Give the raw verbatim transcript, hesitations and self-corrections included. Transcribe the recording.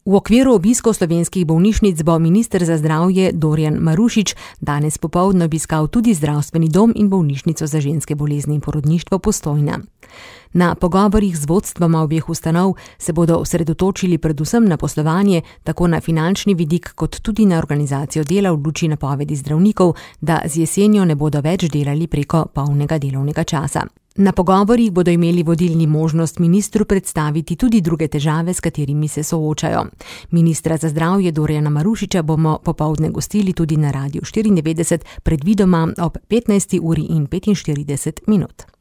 V okviru obiskov slovenskih bolnišnic bo minister za zdravje Dorjan Marušič danes popoldne obiskal tudi zdravstveni dom in bolnišnico za ženske bolezni in porodništvo Postojna. Na pogovorih z vodstvoma obeh ustanov se bodo osredotočili predvsem na poslovanje, tako na finančni vidik kot tudi na organizacijo dela v luči napovedi zdravnikov, da z jesenjo ne bodo več delali preko polnega delovnega časa. Na pogovorih bodo imeli vodilni možnost ministru predstaviti tudi druge težave, s katerimi se soočajo. Ministra za zdravje Dorjana Marušiča bomo popoldne gostili tudi na Radiu štiriindevetdeset, predvidoma ob petnajsti uri in petinštirideset minut.